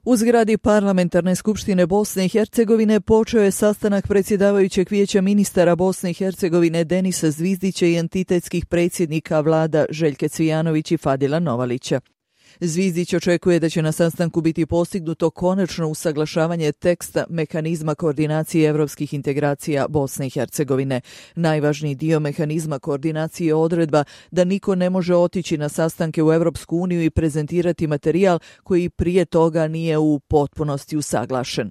U zgradi Parlamentarne skupštine Bosne i Hercegovine počeo je sastanak predsjedavajućeg vijeća ministara Bosne i Hercegovine Denisa Zvizdića i entitetskih predsjednika vlada Željke Cvijanović i Fadila Novalića. Zvizdić očekuje da će na sastanku biti postignuto konačno usaglašavanje teksta mehanizma koordinacije evropskih integracija Bosne i Hercegovine. Najvažniji dio mehanizma koordinacije je odredba da niko ne može otići na sastanke u Evropsku uniju i prezentirati materijal koji prije toga nije u potpunosti usaglašen.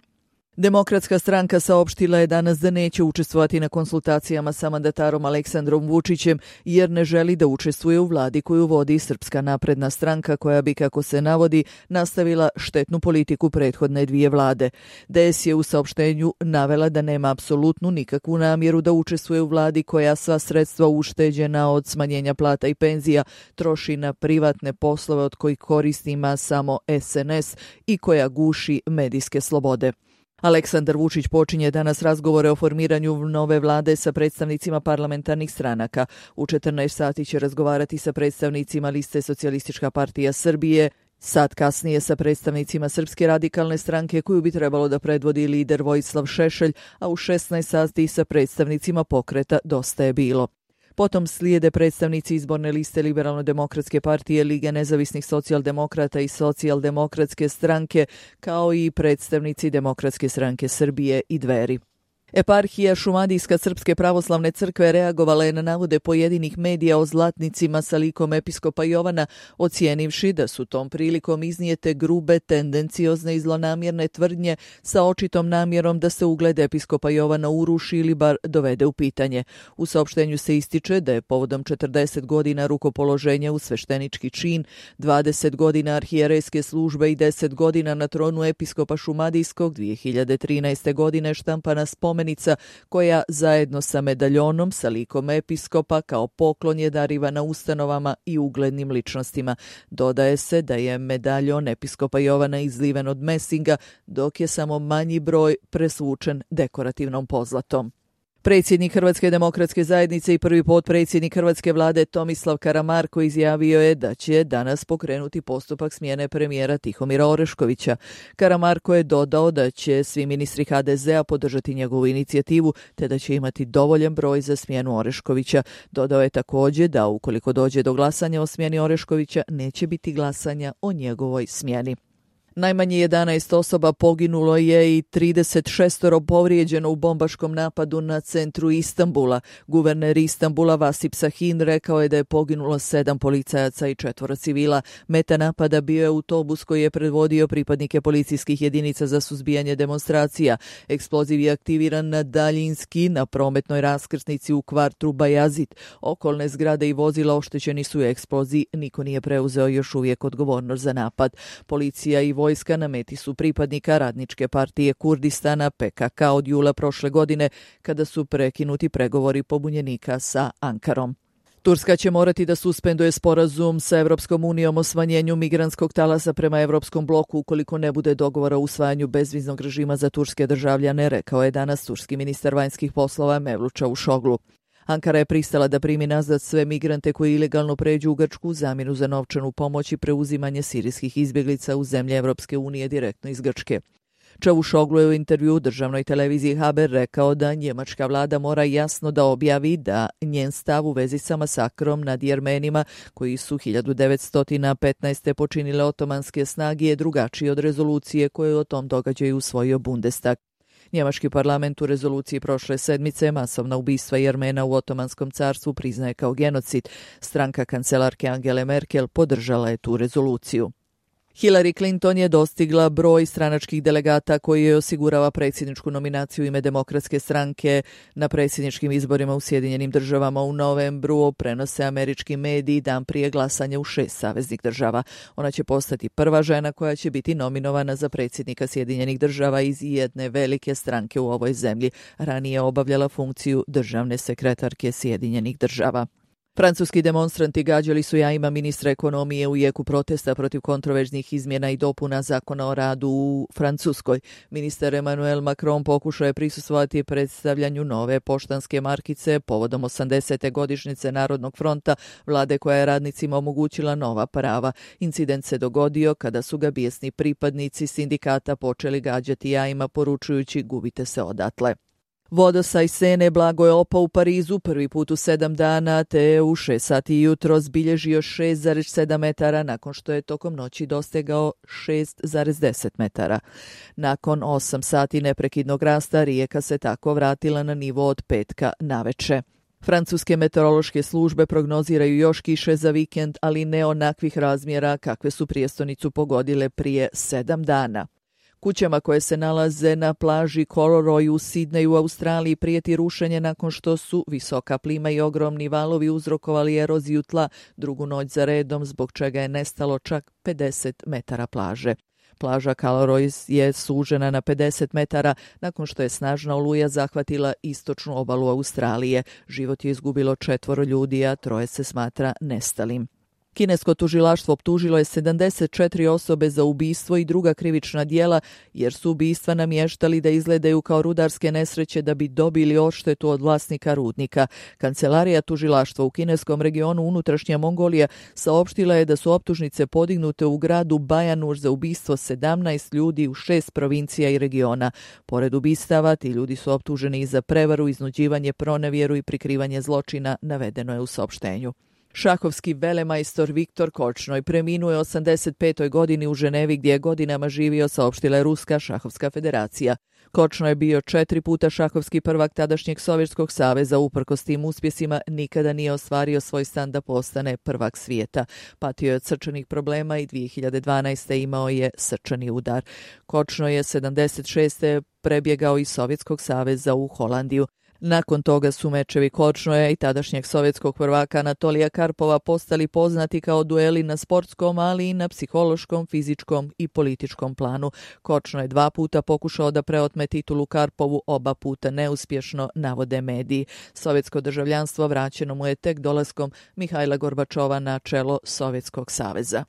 Demokratska stranka saopštila je danas da neće učestvovati na konsultacijama sa mandatarom Aleksandrom Vučićem jer ne želi da učestvuje u vladi koju vodi Srpska napredna stranka koja bi, kako se navodi, nastavila štetnu politiku prethodne dvije vlade. DS je u saopštenju navela da nema apsolutnu nikakvu namjeru da učestvuje u vladi koja sva sredstva ušteđena od smanjenja plata i penzija troši na privatne poslove od kojih koristi ima samo SNS i koja guši medijske slobode. Aleksandar Vučić počinje danas razgovore o formiranju nove vlade sa predstavnicima parlamentarnih stranaka. U 14 sati će razgovarati sa predstavnicima liste Socijalistička partija Srbije, sat kasnije sa predstavnicima Srpske radikalne stranke koju bi trebalo da predvodi lider Vojislav Šešelj, a u 16 sati sa predstavnicima pokreta Dosta je bilo. Potom slijede predstavnici izborne liste Liberalno-demokratske partije, Lige nezavisnih socijaldemokrata i Socijaldemokratske stranke, kao i predstavnici Demokratske stranke Srbije i Dveri. Eparhija Šumadijska Srpske pravoslavne crkve reagovala je na navode pojedinih medija o zlatnicima sa likom episkopa Jovana, ocijenivši da su tom prilikom iznijete grube, tendenciozne i zlonamjerne tvrdnje sa očitom namjerom da se ugled episkopa Jovana uruši ili bar dovede u pitanje. U saopštenju se ističe da je povodom 40 godina rukopoloženja u sveštenički čin, 20 godina arhijerejske službe i 10 godina na tronu episkopa Šumadijskog 2013. godine štampana spomenica koja zajedno sa medaljonom sa likom episkopa kao poklon je darivana ustanovama i uglednim ličnostima. Dodaje se da je medaljon episkopa Jovana izliven od mesinga, dok je samo manji broj presvučen dekorativnom pozlatom. Predsjednik Hrvatske demokratske zajednice i prvi potpredsjednik Hrvatske vlade Tomislav Karamarko izjavio je da će danas pokrenuti postupak smjene premijera Tihomira Oreškovića. Karamarko je dodao da će svi ministri HDZ-a podržati njegovu inicijativu te da će imati dovoljan broj za smjenu Oreškovića. Dodao je također da ukoliko dođe do glasanja o smjeni Oreškovića neće biti glasanja o njegovoj smjeni. Najmanje 11 osoba poginulo je i 36 povrijeđeno u bombaškom napadu na centru Istanbula. Guverner Istanbula Vasip Sahin rekao je da je poginulo 7 policajaca i 4 civila. Meta napada bio je autobus koji je predvodio pripadnike policijskih jedinica za suzbijanje demonstracija. Eksploziv je aktiviran na daljinski na prometnoj raskrsnici u kvartu Bajazit. Okolne zgrade i vozila oštećeni su u eksploziji. Niko nije preuzeo još uvijek odgovornost za napad. Policija i vojska na meti su pripadnika Radničke partije Kurdistana PKK od jula prošle godine kada su prekinuti pregovori pobunjenika sa Ankarom. Turska će morati da suspenduje sporazum sa Evropskom unijom o smanjenju migrantskog talasa prema Evropskom bloku ukoliko ne bude dogovora o usvajanju bezviznog režima za turske državljane, rekao je danas turski ministar vanjskih poslova Mevlut Čavuşoglu. Ankara je pristala da primi nazad sve migrante koji ilegalno pređu u Grčku u zamjenu za novčanu pomoć i preuzimanje sirijskih izbjeglica u zemlje Evropske unije direktno iz Grčke. Čavuşoglu je u intervju državnoj televiziji Haber rekao da njemačka vlada mora jasno da objavi da njen stav u vezi sa masakrom nad Jermenima koji su 1915. počinile otomanske snage je drugačiji od rezolucije koju o tom događaju usvojio Bundestag. Njemački parlament u rezoluciji prošle sedmice masovna ubistva Jermena u Otomanskom carstvu priznaje kao genocid. Stranka kancelarke Angele Merkel podržala je tu rezoluciju. Hillary Clinton je dostigla broj stranačkih delegata koji joj osigurava predsjedničku nominaciju u ime Demokratske stranke na predsjedničkim izborima u Sjedinjenim državama u novembru, prenose američki mediji dan prije glasanja u 6 saveznih država. Ona će postati prva žena koja će biti nominovana za predsjednika Sjedinjenih država iz jedne velike stranke u ovoj zemlji. Ranije obavljala funkciju državne sekretarke Sjedinjenih država. Francuski demonstranti gađali su jajima ministra ekonomije u jeku protesta protiv kontroverznih izmjena i dopuna zakona o radu u Francuskoj. Ministar Emmanuel Macron pokušao je prisustvovati predstavljanju nove poštanske markice povodom 80. godišnjice Narodnog fronta, vlade koja je radnicima omogućila nova prava. Incident se dogodio kada su ga bijesni pripadnici sindikata počeli gađati jajima poručujući gubite se odatle. Vodostaj Sene blago je opao u Parizu prvi put u 7 dana, te je u 6 sati jutro zbilježio 6,7 metara nakon što je tokom noći dostegao 6,10 metara. Nakon 8 sati neprekidnog rasta rijeka se tako vratila na nivo od petka naveče. Francuske meteorološke službe prognoziraju još kiše za vikend, ali ne onakvih razmjera kakve su prijestonicu pogodile prije 7 dana. Kućama koje se nalaze na plaži Kororoy u Sidneju u Australiji prijeti rušenje nakon što su visoka plima i ogromni valovi uzrokovali eroziju tla drugu noć za redom, zbog čega je nestalo čak 50 metara plaže. Plaža Kororoy je sužena na 50 metara nakon što je snažna oluja zahvatila istočnu obalu Australije. Život je izgubilo 4 ljudi, a 3 se smatra nestalim. Kinesko tužilaštvo optužilo je 74 osobe za ubistvo i druga krivična djela jer su ubistva namještali da izgledaju kao rudarske nesreće da bi dobili odštetu od vlasnika rudnika. Kancelarija tužilaštva u kineskom regionu unutrašnja Mongolija saopštila je da su optužnice podignute u gradu Bajanur za ubistvo 17 ljudi u 6 provincija i regiona. Pored ubistava, ti ljudi su optuženi i za prevaru, iznuđivanje, pronevjeru i prikrivanje zločina, navedeno je u saopštenju. Šahovski velemajstor Viktor Korčnoj preminuo je 85. godini u Ženevi gdje je godinama živio, saopštila je Ruska šahovska federacija. Korčnoj je bio 4 puta šahovski prvak tadašnjeg Sovjetskog saveza, uprkos tim uspjesima nikada nije ostvario svoj san da postane prvak svijeta. Patio je od srčanih problema i 2012. imao je srčani udar. Korčnoj je 76. prebjegao iz Sovjetskog saveza u Holandiju. Nakon toga su mečevi Korčnoja i tadašnjeg sovjetskog prvaka Anatolija Karpova postali poznati kao dueli na sportskom, ali i na psihološkom, fizičkom i političkom planu. Korčnoj je 2 puta pokušao da preotme titulu Karpovu, oba puta neuspješno, navode mediji. Sovjetsko državljanstvo vraćeno mu je tek dolaskom Mihajla Gorbačova na čelo Sovjetskog saveza.